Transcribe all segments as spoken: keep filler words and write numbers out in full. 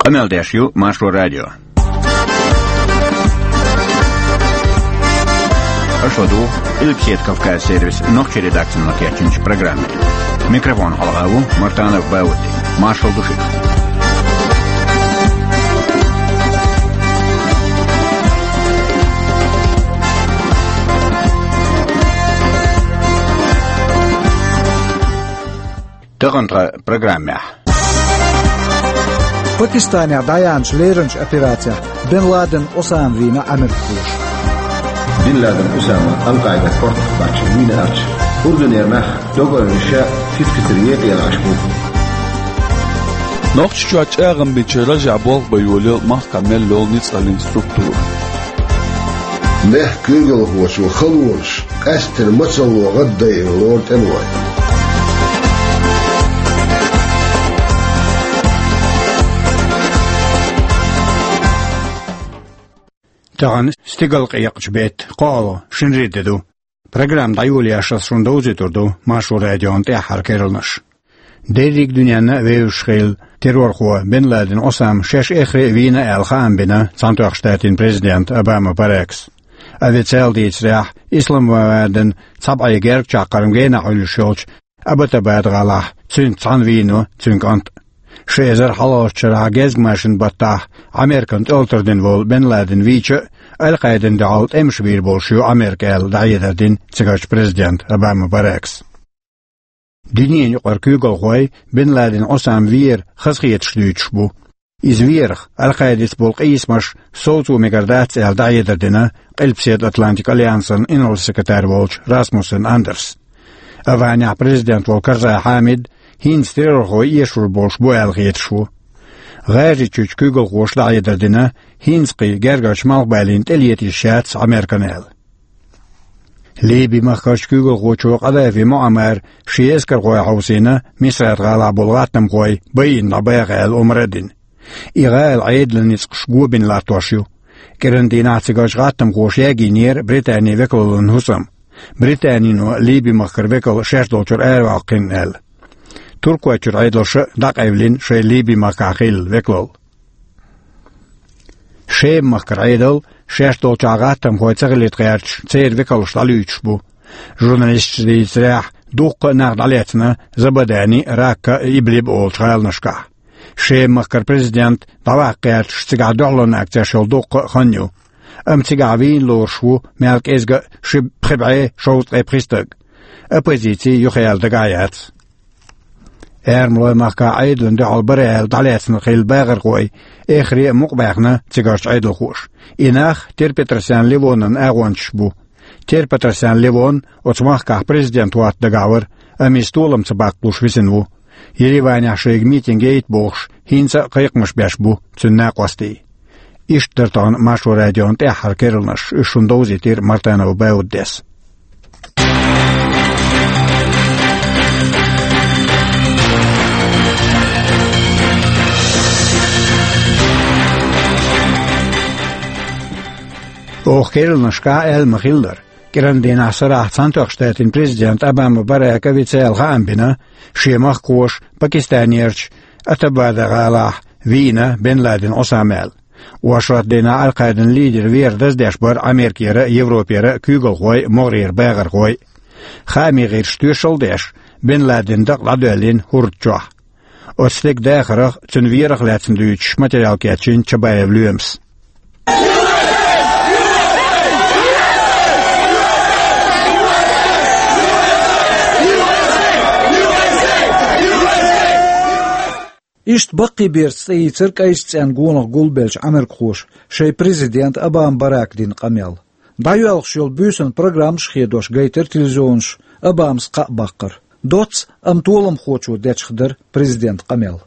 Къамел деш ю Маршо радио. Аша ладугӀу Къилбаседа Кавказ сервисан нохчийн редакцино кечйинчу программе. Микрофона хьалха ву Мартанов Бауди. Маршалла ду шуьга. Тахана тхан программехь. Пакистанехь дӀаяьхьначу леринчу операцехь Бен Ладен Осама вийна америкхоша. Бен Ладен Осама Ал-Къаидин кортах баьхкина вийна аьлча, Урдунера нах договор ша фицкатар екъа елахьаш бу. Нохчийчохь чӀагӀам бинчу рожехь болх бан йолаелла махкахь мел йолу ницкъаллин структура. Мехкан куьйгалхочо халонаш къаьсттина мацалло гӀаддайина лору тӀемалой. Тахана стигалкъекъачу беттан кхоалгӀа, шинарин де ду. Программа дӀайолош ас шуна довзуьйтур ду Маршо радион тӀаьххьара керланаш. Дерриг дуьненна а вевзаш хилла террорхо Бен Ладен Осама шаьш эххар а вийна аьлла хаам бина Цхьаьнатоьхначу Штатийн президента Обама Баракас. Официалан дийцарехь, Исламабадан цхьа бӀе гергачаккхарма генахь Ӏуьллуш йолчу Аббатабад гӀалахь цуьнца цхьаьна вийна цуьнан кӀант. Ши эзар хьалхарчу шарахь гезгмашин баттахь Американа тӀелатар дина волу Бен Ладен вийча а, Ал-Къаидина дуьхьал тӀемаш бийр болуш ю Америка аьлла дӀахьедар дина цигарчу президента Обама Баракас. Дуьненан юкъара куьйгалхой Бен Ладен Осама вер хазахеташ дуьйцуш бу. Иза верах, Ал-Къаидаца болу къийсамаш совцо мегар дац аьлла дӀахьедар дина Къилбаседа Атлантикан альянсан инарла-секретарь волчу Расмуссен Андерса. Афганехь президент волу Карзай Хьамид хӀинца террорхой эшур болуш бу аьлла хеташ ву. ГӀажарийчуьрчу куьйгалхоша дӀахьедар дина, хӀинца кхин гергарчу Малхбалина тӀелета йиш яц Американа аьлла. Ливин махкарчу куьйгалхочо Къадафи Муаммара шен эскархой хьовсийна Мисрат гӀалахь болу гӀаттамхой байина дӀабаха аьлла омра а дина. И гӀала Ӏедалан ницкъаш го бина латтош ю. КӀиран дийнахь цигарчу гӀаттамхоша ягийнера Британин векалаллин хӀусам. Британино Ливин махкара векал шаьш долчуьра араваккхина аьлла. Туркойчуьра Ӏедалша а дӀакъевлина шайн Ливин махкахь хилла векалалла. Шеман махкара Ӏедал шаьш долчохь гӀаттамхой ца хилийта гӀерташ, церан векалш дӀалуьйчуш бу. Журналисташа дийцарехь, дуккха а нах дӀалецна Забадани, Ракка а, Иблиб а олучу гӀаланашкахь. Шеман махкара президент дӀаваккха гӀерташ цигахь дуьхьалонна акцеш йолу дуккха а хан ю. Амма цигахь вийна лоруш ву мел кӀезга а ши пхи бӀе шовзткъе пхи стаг. Оппозици юхаяьлла дагахь яц. Эрмалойн махкахь Ӏедална дуьхьал бара аьлла дӀалецна хилла бахархой эххар а мукъабаьхна цигарчу Ӏедалхоша. И нах Тер-Петросян Левонан агӀончаш бу. Тер-Петросян Левон оцу махкахь президент хӀотта дагахь вара, амма иза толам ца баккхалуш висина ву. Ереванехь шайга митинг яйта бохуш, хӀинца а кхайкхамаш беш бу цуьнан накъостий. Иштта дара тахана Маршо радион тӀаьххьара керланаш, уьш шуна довзийтира Мартанов Бауддес. Оха керланашкахь аьлла ма-хиллара, кӀиран дийнахь сарахь Цхьаьнатоьхначу Штатийн президента Обама Барака официалан хаам бина, шен махкахоша Пакистанерчу Абботабад гӀалахь вийна Бен Ладен Осама аьлла. Оршот дийнахь Ал-Къаидан лидер вер даздеш бара Америкера а, Европера а куьйгалхой а, могӀарера бахархой а. Хаамийн гӀирсаша тоьшалла а деш, Бен Ладенан дакъа дӀадоьллина хӀорда чохь. Оцу стеган дахарх а, цуьнан верах а лаьцна дуьйцуш материал кечйина Чабаев Лоьмас. Иштта баккхийберца цӀе йийцира кӀайчу цӀенна гонах гулбеллачу Ӏамеркахоша шайн президента Обама Барака дина къамел. ДӀайоьлхуш йолу буьйсанна программаш а хедош гайтира телевизионаша Обамас кхаъ баккхар. Доцца, амма толамхочо дечух дара президентан къамел.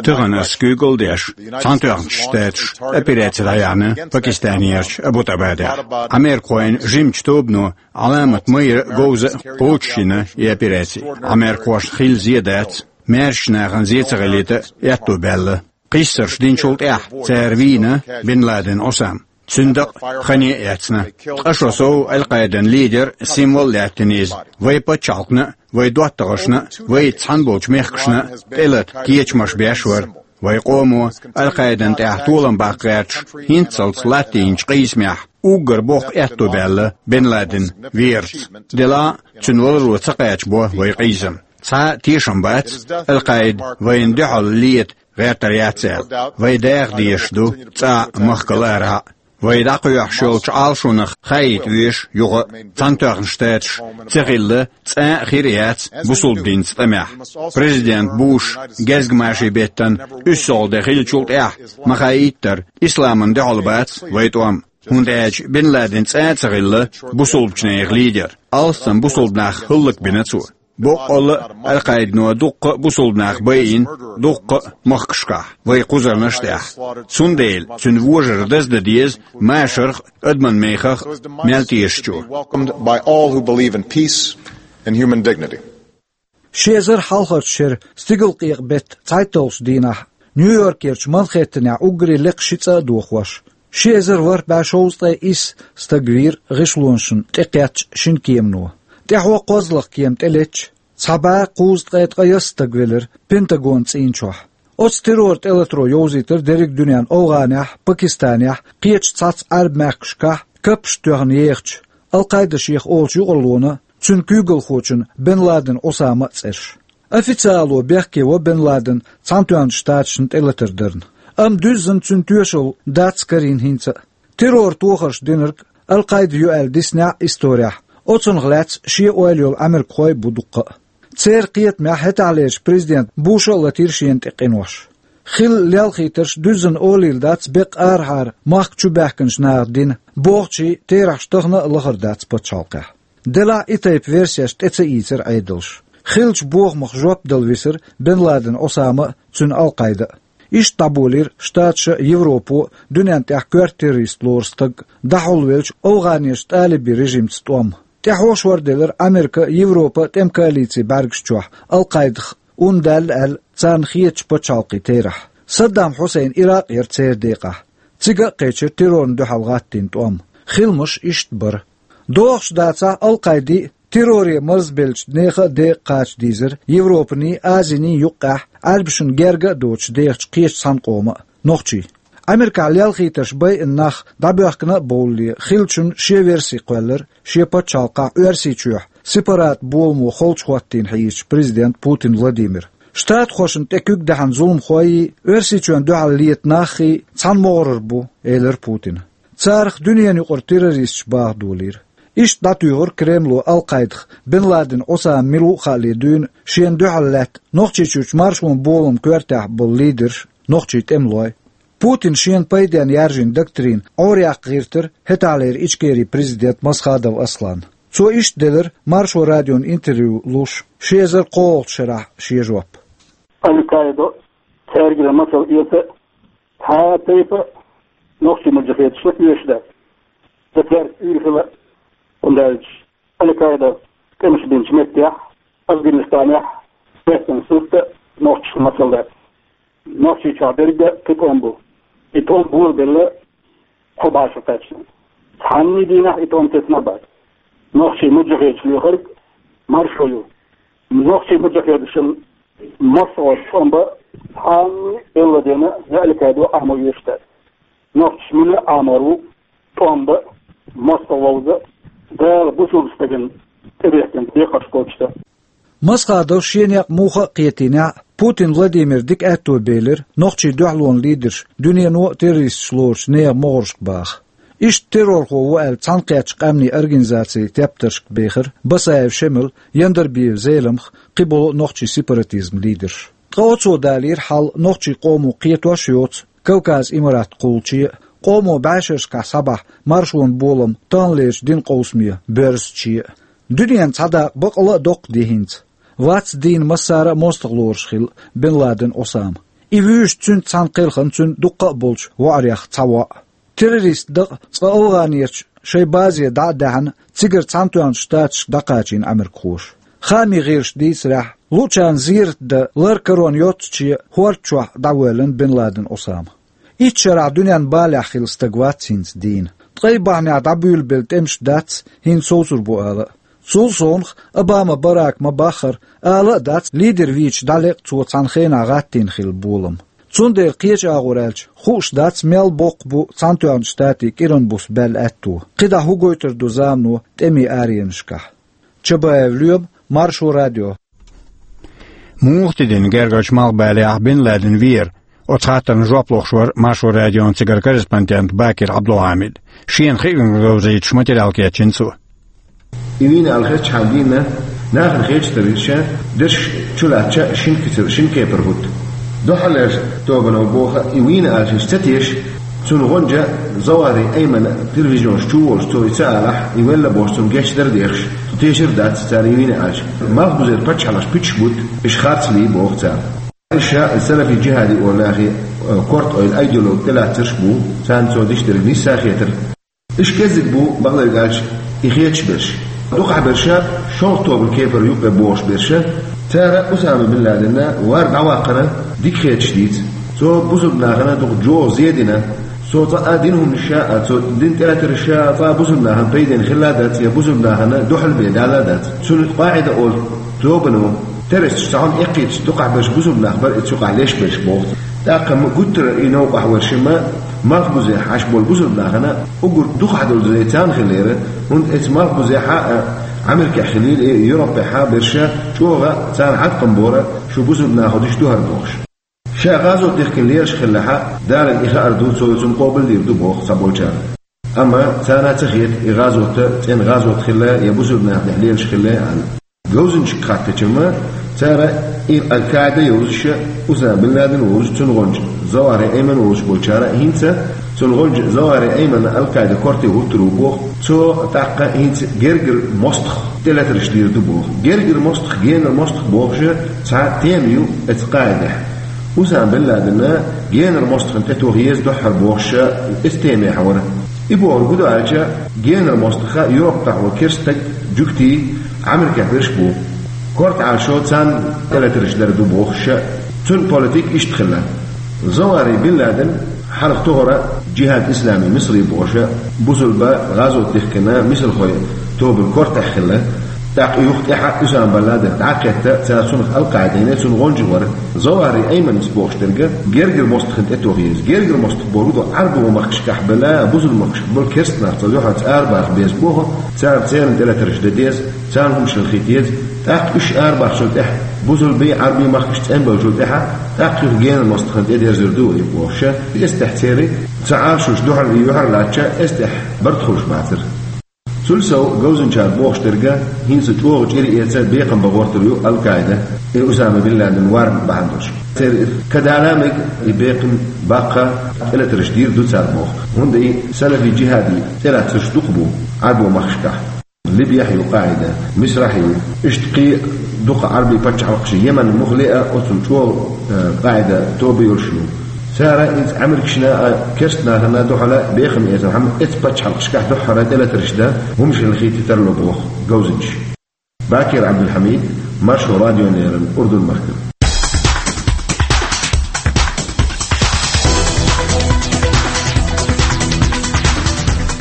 Тахана ас куьйгалла деш, Цхьаьнатоьхначу Штаташа операци дӀаяьхьна Пакистанерчу Абботабадехь. Ӏамеркахойн жимачу тобано Ӏаламат майра а, говза а кхочушйина и операци. Ӏамеркахошна хилла зен дац, маьршачу нахана зен ца хилийта аьтто баьлла. Кхиссарш динчул тӀаьхьа цара вийна Бен Ладен Осама. Цуьнан дакъа хане а эцна. Ткъа шо сов Ал-Къаидан лидер, символ а лаьттина иза. Вайн пачхьалкхна а, вайн доттагӀашна а, вайца цхьаьна болчу мехкашна а тӀелата кечамаш беш вара. Вай къомо Аль-Къаидан тӀехь толам баккха гӀерташ, хӀинццалц латтийначу къийсамехь уггар боккха аьтто баьлла Бен Ладен верца. Делахь а цуьнан валаро ца кхачабо вай къийсам. Цхьа а тешам бац, Аль-Къаида вайна дуьхьал лета гӀертар яц аьлла. Вай даха дезаш ду цӀахь а, махкал арахь а. Вай дӀакхоьхьуш йолчу Ӏалашонах хаийта везаш юха а, Цхьаьнатоьхна Штаташ ца хилла, цкъа а хир а яц бусалба динца тӀамехь. Президент Буш гезгмашин беттан уьссалгӀа де хиллачул тӀаьхьа ма хаийттара, исламна дуьхьал бац вай тӀом. ХӀунда аьлча Бен Ладен цкъа а ца хилла бусалбачу нехан лидер. Алссам бусалба нах хӀаллакбина цо. Боккъалла а Аль-Къаидано дуккха а бусалба нах байина, дуккха а махкашкахь, вай кхузарнаш тӀехь. Цундела цуьнан вожаран даздан деза машарх а, адаман мехах а мел тешачо. Welcomed by all who believe in peace and human dignity. Ши эзар хьалхарчу шеран стигалкъекъа беттан цхьайтталгӀачу дийнахь Нью-Йоркерчу Манхэттенехь уггаре лекха ши цӀа а дохош, ши эзар ворхӀ бӀе шовзткъе исс стаг вийра гӀишлонашна тӀекхеттачу шина кемано. ТӀаьхьо кхозлагӀа кема тӀелеттачу цхьа бӀе кхузткъе ткъе исс стаг велира Пентагонан цӀийна чохь. Оцу терроран тӀелатаро йовзийтира дерриг дуьненна ОвгӀанехь, Пакистанехь, кхечу цхьацца Ӏаьрбийн мехкашкахь каппаш тоьхна ехачу Аль-Къаида шех олучу юкъараллина, цуьнан куьйгалхочун Бен Ладен Усаман а цӀераш. Официало бехке во Бен Ладен Цхьаьнатоьхначу Штаташна тӀелатар дарна. Амма дуьззина цуьнан тоьшалла дац карийна хӀинца а. Терроран тохарш динарг Аль-Къаида ю аьлла диснехь а исторехь, оцунах лаьцна шен ойла йолу америкахой а бу дуккха а. Церан кхетамехь хӀетахьлерчу президента Буша а латийра шена тӀе къинош. Хилла лелхийтарш дуьззина олийла дац беккъа арахьара махка чубаьхкинчу наха дина, бохучийн терахьаш тахана а лахара дац пачхьалкхехь. Делахь а и тайпа версеш тӀе ца ийцира Ӏедалша. Хиллачу бохамах жоп дала висира Бен Ладен Усама а, цуьнан Аль-Къаида а. Иштта дӀаболийра Штаташа а, Европо а дуьненна тӀехь коьрта террорист лору стаг, дӀахьулвеллачу ОвгӀанерчу тӀалибийн режимца тӀом. ТӀаьхьо шорделира Америка а, Европа а тӀеман коалицин бӀаьргаш чохь Аль-Къаидах ун даьлла аьлла, царна хетачу пачхьалкхийн терахь. Саддам Хьусайн Иракъ яра церан декъахь. Цига а кхечира террорна дуьхьал гӀаттийна тӀом. Хиламаш иштта бара. ДогӀуш дацахь, Аль-Къаиди а, терроре марзбеллачу нехан а декъа кхача дийзира Европаний, Азиний юккъехь, Ӏаьрбашна герга а доцуш дехачу кхечу цхьана къоман а, нохчийн. Америкахь лелхийтарш байина нах дӀабоьхкина а бовлале, хиллачун шен верси кхоьллира шен пачхьалкхахь Оьрсийчохь сепарат боламо холчу хӀоттийна хьийзачу президент Путин Владимира. Штатхошна тӀе куьг даьхьна зуламхойий, Оьрсийчоьнна дуьхьал лета наххий цхьана могӀарара бу, элира Путина. Царах дуьненан юкъара террористаш баха долийра. Иштта дӀатуьйхира Кремло Аль-Къаидах Бен Ладен Усама мила ву а хаале дуьйна шена дуьхьал лаьтта Нохчийчуьрчу маршонан боламан коьртехь болу лидерш, нохчийн тӀемалой. Путина шена пайденна яржийна доктрина Ӏораяьккха гӀиртира хӀетахьлера Ичкерин президент Масхадов Аслан. Цо иштта делира Маршо радиона интервью луш, ши эзар кхоалгӀачу шарахь шен жоп. Аль-Къаидо цаьргара масал эца, цхьа а тайпа нохчийн муджахедашна оьшуш дац. Сан цаьрца уьйр хила, хӀунда аьлча Аль-Къаида тӀемаш бинчу меттехь, Афганистанехь, беттан сурта нохчашна масал дац. Нохчийчохь дерг а кхин тӀом бу. И тӀом болабелла кхо бӀе шо кхаьчна. Цхьанний дийнахь и тӀом тесна а бац. Нохчийн муджахедаш лоьхург маршо ю. Нохчийн муджахедашна массо а тӀом бан цхьанний а Бен Ладена я Аль-Къаидо Ӏамо оьшуш дац. Нохчаша мила а Ӏамор ву тӀом бан, мостагӀ вовза, Дала бусалба стагана тӀебехкина декхарш кхочушдан. Масхадов шен некъ муха а кхетийнехь а, Путин Владимира дика аьтто белира нохчийн дуьхьалонан лидерш дуьнено а террористаш лоручу нехан могӀаршка баха. Иштта террорхо ву аьлла цхьаьнакхеттачу къаьмнийн организацийн тептаршка бехира Басаев Шемал, Яндарбиев Зеламха, кхиболу а нохчийн сепаратизман лидерш. Ткъа оцо далийра хьал нохчийн къомо кхетош а йоцу Кавказан Имарат кхуллуче а, къомо бӀешерашкахь схьабахьа маршонан болам таханлерчу динан къовсаме боьрзуче а. Дуьненна цхьа дакъа бакъала а доккха ди хӀинца. Вац дийна массара а мостагӀ лоруш хилла Бен Ладен Усама. И вуьйш цуьнца цхьаьна кхелхина цуьнан дуккха а болчу воӀарех цхьа воӀ. Террорист дакъа цкъа ОвгӀанерчу шайн базе дӀа а даьхьна, цигара Цхьаьнатоьхначу Штаташка дӀакхачийна Ӏамеркахоша. Хаамийн гӀирсаша дийцарехь, луучарна зерат дан лар-карон йоццуче хӀорда чохь дӀавоьллина Бен Ладен Усама. Итт шарахь дуьненна балехь хилла стаг вац хӀинца дийна. Ткъе бахьанехь дӀабуьйлабелла тӀемаш дац хӀинца совцур бу ала а. Цул совнаха, Обама Барака ма-баххара, ала а дац, лидер вийча дӀалекъна цо цхьана хенахь гӀаттийна хилла болам. Цундела кхечу агӀор аьлча, хууш дац, мел боккха бу Цхьаьнатоьхначу Штатийн кӀиранан буса баьлла аьтто. КхидӀа хӀун гойтур ду замано тӀемийн аренашкахь? Чабаев Лоьма, Маршо радио. Муха тидина гергарчу Малхбалехь Бин Ладен веара? Оцу хаттарна жоп лохуш вара Маршо радион цигара корреспондент Бакир Ӏабдулхьамид. Шена хиъна говзуьйтуш материал кечйина цо. И вийна аьлла хезча хьан дийна, нахана хеташ дара ша, дерш чулаьцча шина кицар, шина кепара хӀутту. Духьалерш тобано боху, и вийна аьлла ша ца теша, цуьнан гӀонча Завари Аймана телевизионаш чу волуш цо и ца алахь, и велла бохуш цунна гечдар дехаш, цо тешар дац цара и вийна аьлча. Малхбузера паччахьалкхаш пуьтуш бутт, уьш харцлий боху цара. Ша салафи-джихади олу нахе, э, корта ойла айдолу тӀелаьцнарш бу, царна цо диш дерг нийса хетар. Уьш кӀеззиг бу, бакъдерг аьлча, и хеташ берш. Дукхахберш шолгӀа тобанан кепара юккъе бохуш берш. Цара Усама бин Ладенна вар дӀаваккхарна дика хеташ дийца. Цо бусулба нахана дукха чӀогӀа зе дина. Цо цкъа а дина хӀуманаш а, цо дина тӀелатарш а цкъа а бусулба нахана пайденна хилла а дац, я бусулба нахана дуьхьал бен далла а дац. Цуьнан къаӀида олу тобано террористы цхьа хӀума эккхийтича, дукхахберш бусулба нах бара, и цу юкъахь леш берш боху. ТӀаккха ма гуттара и новкъахь вара шима, малхбузехь Ӏаш болу бусулба нахана уггар дукхахь долу зе царна хилира, хӀунда эцу малхбузехь а, Америкехь хилийла, и Европехь а берш чӀогӀа царна хьаткъам бора, шу бусулба нахо диш ду хӀара бохуш. Ша гӀазот дихкина лелаш хиллехь а, Далла и хаар ду, цо и цунна къобалдийр ду боху цхьаболчарна. Амма царна ца хета и гӀазот цӀена гӀазот хилла я бусулба нахана тӀехь лелаш хилла аьлла. Говзанчашка хаттача ма, цара и Аль-Каида йовзуш, Усама бин Ладен волуш, цуьнан гӀонча Завари Айман волуш болчара а хӀинца, цуьнан гӀонча Завари Айманна Аль-Каида корте хӀуттур ву боху, цо тӀаккха хӀинца гергара мостагӀ тӀелатарш дийр ду боху. Гергара мостагӀ, генара мостагӀ бохуш цхьа тема ю эцу къаӀидехь. Усама бин Ладенна генара мостагӀна тӀетоха еза дуьххьара бохуш, эцу темехь вара. И бохург хӀун ду аьлча, генара мостагӀа Европехь волу керста стаг, жуьгтий, Америкехь берш бу. Корта Ӏалашо царна тӀелатарш дар ду бохуш, цуьнан политика иштта хилла. Завари бин Ладен хьалха тохара Джихад Ислами Мисри бохуш, бусулба гӀазот дихкина мисрахой тобанан кортехь хилла. ТӀаккха и юха тӀаьхьа Усама бин Ладен дӀа а кхетта, цара цунах Аль-Каида йина, цуьнан гӀонча вара. Завари Айманас бохуш дерг гергара мостагӀна тӀетоха еза. Гергара мостагӀ бохург ду Ӏарбойн махкашкахь бала, бусулба махкашкахь болу керста нах цу дуьхьал арабаха беза боху, царна церан тӀелатарш дан деза, царна хӀуманаш хила хийта еза. ТӀаккха уьш арабахчул тӀаьхьа, бусулбий, Ӏарбий махкаш цӀанбеллачул тӀаьхьа, тӀаккха юха генара мостагӀна тӀедерзар ду и бохуш, эцу тӀехь церан ца Ӏалашош дуьхьал, юьхьар лаьттача, эцу тӀехь барт хуьлуш бацара. Цул сов, говзанчара бохуш дерг, хӀинца чӀогӀа чӀир эца бекхам бан гӀортар ю Аль-Каида, и Усама бин Ладен варна бахьана долуш. Церан кадала мега и бекхам баккха тӀелатарш дийр ду цара боху. ХӀунда и салафи-джихади тӀелаьцнарш дукха бу Ӏарбойн махкашкахь. Либияхь ю къаӀида, Мисрахь ю, иштта кхин дукха Ӏарбий паччахьалкхаш, Йемен муха лиъа, оццул чӀогӀа, э, къаӀида тоба йолуш ю. Цара иза Америкашна а, керста нахана дуьхьала бекхам эцархьама, эцу паччахьалкхашкахь дуьххьара тӀелатарш дан, хӀуманаш хила хийта тарло боху говзанчаша. Бакир Ӏабдулхьамид, Маршо радиона леррина, Урдун-махкара.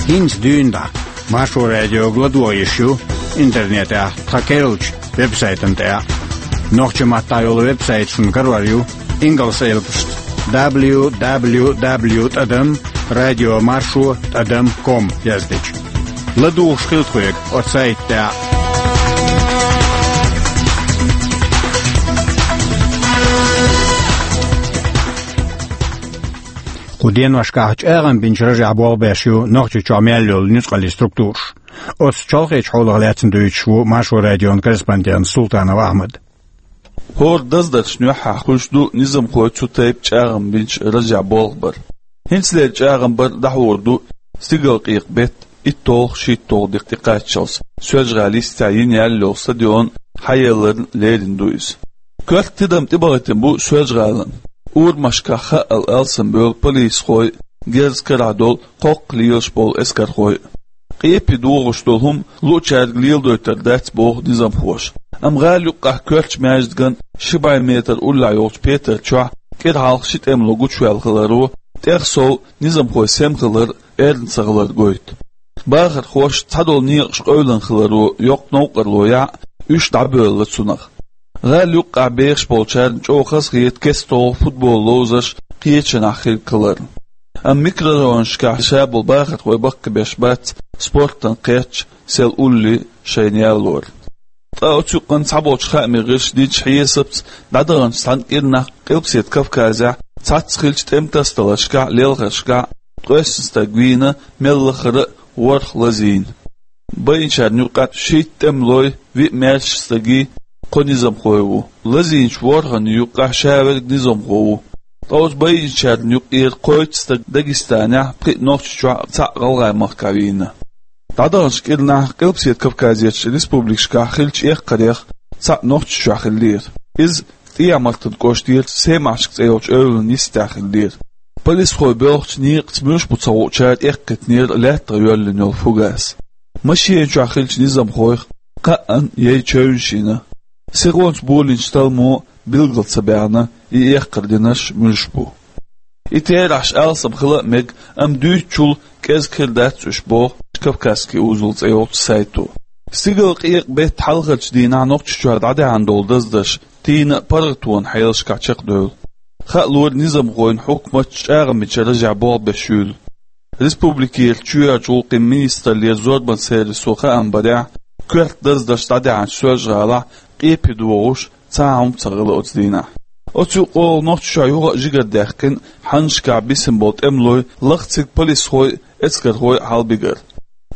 ХӀинца дуьйна дӀа Маршо радиога ладогӀа йиш ю интернетехь тхан керлачу веб-сайтана тӀехь. Нохчийн маттахь йолу веб-сайт шуна карор ю ингалс элпашца: дабл ю дабл ю дабл ю тӀадам радио маршо тӀадам ком яздича. ЛадугӀуш хила тхоьга оцу сайта тӀехь. Кху деношкахь чӀагӀам бинчу ражехь болх беш ю Нохчийчохь мел йолу нуьцкъаллийн структураш. Оцу чолхечу хьолах лаьцна дуьйцуш ву Маршо радион корреспондент Султанов Ахьмад. ХӀора даздаршна юьххьехь хуьлуш ду низамхой цу тайпа чӀагӀам бинчу ражехь болх бар. ХӀинцалера чӀагӀам бар дӀахьур ду стигалкъекъа беттан итталгӀа-шийтталгӀа декъе тӀекхаччалц Соьлжа-ГӀалин йистехь йина яьлла йолу стадион хьаелларна лерина ду иза. Коьрта тидам тӀебахийтина бу Соьлжа-ГӀалина. Урамашкахь хаъал алсамбевлла полисхой, герз карахь долу кхоккха лелаш болу эскархой. Къепе догӀуш долу хӀума луъучаьрга леладойтур дац, боху низамхоша. Амма гӀала юккъехь коьртачу маьждиган ши бӀе метр уллехь йолчу петар чохь кӀира хьалха ши тӀемало гучуваьлла хиларо, тӀех сов низамхойн сема хилар, эрна ца хилар гойту. Бахархоша цхьадолу некъаш къевлина хиларо йоккха новкъарло яхь, уьш дӀабоьлла цунах. ГӀала юккъехь бехаш болчарна чӀогӀа хазахета кеста-тоху футбол ловзарш, кхечанахь хилла кхалар. Амма микрорайонашкахь шаболу бахархой баккхийбеш бац спортана кхетта сел улле шайна ялор. Ткъа оцу юкъанна цхьаболчу хаамийн гӀирсаша динчу хьесапца, дӀадаханчу цхьана кӀирнахь Къилбаседа Кавказехь цхьацца хиллачу тӀеман тасадаларшкахь, лелхаршкахь ткъесна стаг вийна, мел лахара а ворхӀ лазийна. Байинчарна юккъехь шийтта тӀемалой, виъ маьрша стагий, кхо низамхой ву. Лазийначу ворхӀанна юккъехь ша верг низамхо ву. Ткъа оцу байинчарна юккъера кхойтта стаг Дагестанехь, пхиъ Нохчийчохь, цхьаъ ГӀалгӀай-махкахь вийна. ДӀадаханчу кӀирнахь Къилбаседа Кавказерчу республикашкахь хиллачу эккхарех цхьаъ Нохчийчохь хиллера. Иза ТӀехьа-Мартан кӀоштера Семашка цӀе йолчу эвлана йистехь хиллера. Полисхой боьлхучу некъаца муьлш бу ца хуучара эккхийтинера лаьттах йоьллина йолу фугас. Машена чохь хиллачу низамхойх кхаанна яй чевнаш йина. Сихонца болийначу талламо билгал ца баьхна, и эккхар динарш муьлш бу. И терахьаш алсам хила а мега, амма дуьйцучул кӀезиг хир дац уьш, боху «Кавказский узел» цӀе йолчу сайто. Стигала къекъа беттан хьалхарчу дийнахь Нохчийчохь дӀадаьхьна долу даздарш тийна а паргӀатонан хьелашкахь чекхдевлла. Хаалора низамхойн хьукматца чӀагӀамечу ражехь болх беш юйла. Республикера чоьхьарчу гӀуллакхийн министраллера зорбанан сервисо хаам барехь, коьрта даздарш дӀадаьхьначу Соьлжа-ГӀалахь къепе догӀуш цхьа а хӀума ца хилла оцу дийнахь. Оцу юкъахула Нохчийчохь юха а жигардаьккхина хьаннашкахь бисина болу тӀемалой, лахциг полисхой а, эскархой а хьалабигар.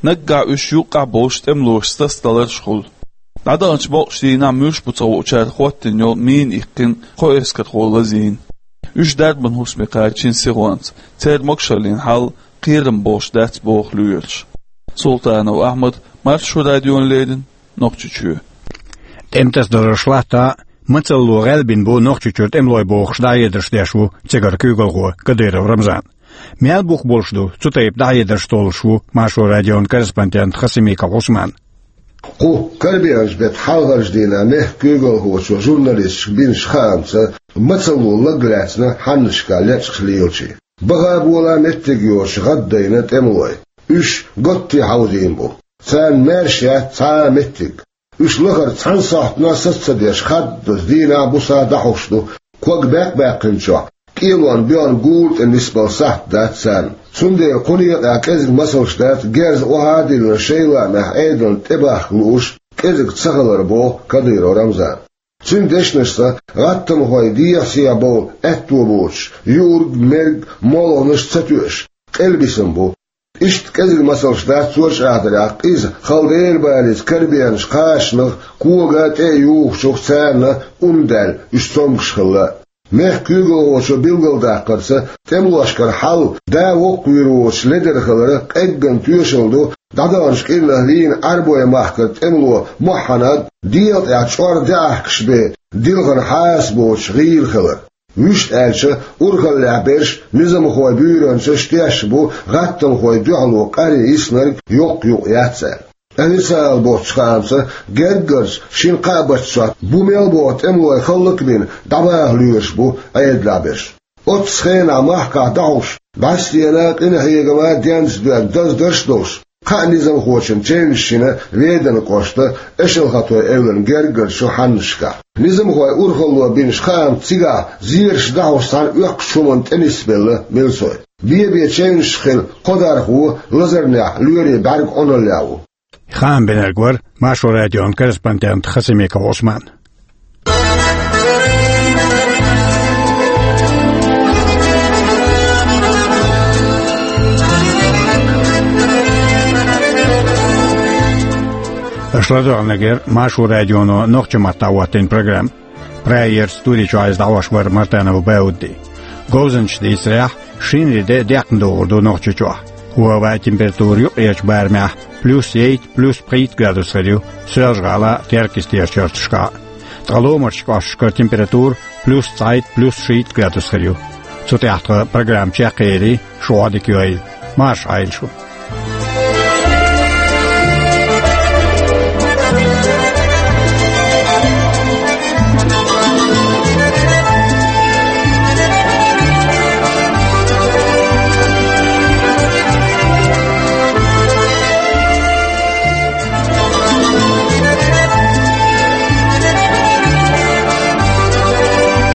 Наггахь уьш юккъехь болуш тӀемалошца тасадаларш хуьлу. ДӀадаханчу боккъачу дийнахь муьлш бу ца хуучара хӀоттийна йолу мина иккхина кхо эскархо лазийна. Уьш дарбан хӀусаме кхачийна сихонца, церан могушаллин хьал кхерам болуш дац, боху лоьраша. Султанов Ахьмад, Маршо радиона леррина, Нохчийчоь. ТӀеман тасадаларш латта а, мацалло гӀелбина бу Нохчийчуьра тӀемалой бохуш дӀахьедарш деш ву цигара куьйгалхо Кадыров Рамзан. Мел бух болуш ду цу тайпа дӀахьедарш, толлуш ву Маршо радион корреспондент Хасимиков Ӏусман. Кху Карабинарчу беттан хьалхарчу дийнахь мехкан куьйгалхочо журналисташка бинчу хаамца, мацалло лаг лаьцна хьаннашкахь лечкъаш лелачийн. Баха а, бола а меттиг йоцуш гӀаддайна тӀемалой. Уьш готте хьовзийна бу. Царна маьрша яц цхьа а меттиг. Уьш лахара цхьана сохьтана саца ца деш, хаддаза дийнахь-буса дӀахьуш ду. Ког баьккъа баьккхинчохь, кӀелонан боьхна гула тӀе нисбала сахьт дац царна. Цундела кху некъехь кӀезиг масалш дац герз охьа а диллина, шайн лаамехь Ӏедална тӀебахка лууш кӀезиг ца хилар, боху Кадыров Рамзана. Цуьнан дешнашца, гӀаттамхой дехьа-сехьа бовла аьтто боцуш, юург, мерг, молханаш ца тоьуш, къелбисина бу. Иштта кӀезиг масалш дац цу чӀагӀдарехь, иза хала дера балийца Карабинарчу кхачанах, кога тӀе а юхучух, царна ун даьлла, уьш цомгуш хилла. Мехкан куьйгалхочо билгалдаккхарца, тӀемалошкара хьал да воккхавийр воцуш ледара хилар къеггина тоьшалла ду дӀадаханчу кӀирнахь вийна Ӏарбойн махкара тӀемало Мухьанад, дегӀа тӀехь чӀор де Ӏахкаш бен дилхина хьаса боцуш гӀийла хилар. Вуьшта аьлча, урхаллехь берш низамхойн буьйранчаш тешна бу гӀаттамхойн дуьхьало къаре йиснарг йоккха юкъ яц аьлла. Официалан боцчу хаамца, герггарчу шина-кхаа баттахь бу мел боху тӀемалой хӀаллакбина дӀабаха лоьруш бу Ӏедалехь берш. Оццу хенахь махкахь дӀахьуш, бӀаьстенан а, къинхьеганан а денца доьзна даздарш а долуш, кхаа низамхочун чевнаш йина Веданан кӀоштан Эшалхатойн эвлана герггарчу хьаннашкахь. Низамхойн урхалло бинчу хаамца, цигахь зераш дӀахьуш цхьана оьккхучу хӀуманна тӀе нисбелла милцой. Бен-бен чевнаш хилла кхо дархо лазарнехь лоьрийн бӀаьрг Ӏуналлехь ву. Хаам бинарг вара Маршо радион корреспондент Хасимиков Ӏусман. Аша ладоьгӀнарг яра Маршо радионо нохчийн маттахь хӀоттийна программа. Прагерчу студи чохь иза дӀахьош вара Мартанов Бауди. Говзанчаш дийцарехь, шинарин де декъна догӀур ду Нохчийчохь. ХӀаваан температура юккъерчу барамехь плюс ейтта, плюс пхийтта градус хир ю Соьлжа-ГӀала, Теркйистера чарташкахь. Ткъа ломарчу кӀошташкара температура плюс цхьайтта, плюс шийтта градус хир ю. Цу тӀехь тхан программа чекхъели, шу Ӏодика йойла. Марша Ӏойла шу.